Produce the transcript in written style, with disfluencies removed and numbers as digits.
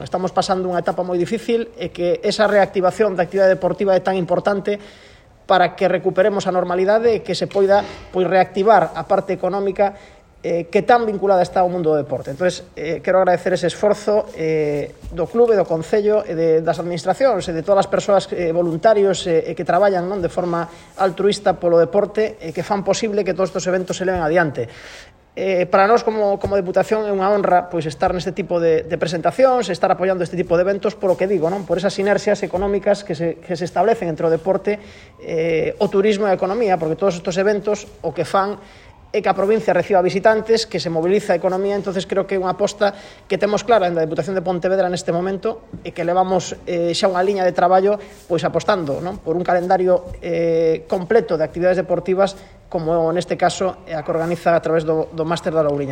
Estamos pasando unha etapa moi difícil e que esa reactivación da actividade deportiva é tan importante para que recuperemos a normalidade e que se poida reactivar a parte económica que tan vinculada está ao mundo do deporte. Entón, quero agradecer ese esforzo do clube, do concello, das administracións e de todas as persoas voluntarios que traballan de forma altruista polo deporte e que fan posible que todos estes eventos se leven adiante. Para nós como Deputación é unha honra estar neste tipo de presentacións, estar apoiando este tipo de eventos, polo que digo, por esas sinerxias económicas que se establecen entre o deporte, o turismo e a economía, porque todos estes eventos o que fan é que a provincia reciba visitantes, que se moviliza a economía. Entonces creo que é unha aposta que temos clara na Deputación de Pontevedra neste momento e que levamos xa unha liña de traballo apostando por un calendario completo de actividades deportivas como neste caso a que organiza a través do Máster da Louriña.